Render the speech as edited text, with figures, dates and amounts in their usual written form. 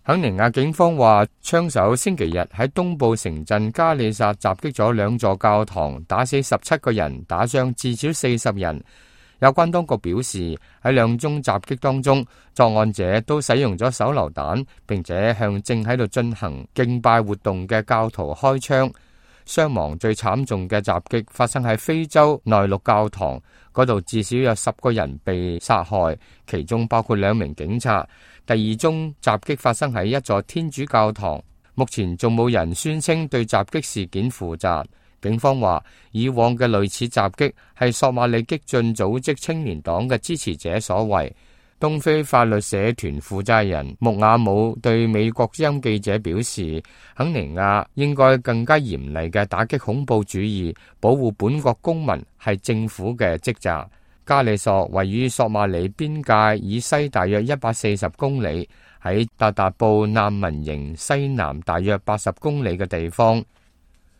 肯尼亞警方話，槍手星期日喺東部城鎮加里薩襲擊咗2座教堂，打死17個人，打傷至少40人。有關當局表示，喺2宗襲擊當中，作案者都使用咗手榴彈，並且向正喺度進行敬拜活動嘅教徒開槍。傷亡最慘重嘅襲擊發生喺非洲內陸教堂，嗰度至少有10個人被殺害，其中包括2名警察。第2宗襲擊發生喺一座天主教堂，目前仲冇人宣稱對襲擊事件負責。警方話，以往嘅類似襲擊係索馬里激進組織青年黨嘅支持者所為。東非法律社團負責人穆亞姆對美國之音記者表示，肯尼亞應該更加嚴厲嘅打擊恐怖主義，保護本國公民係政府嘅職責。加里索位於索馬里邊界以西大約140公里，喺達達布難民營西南大約80公里嘅地方。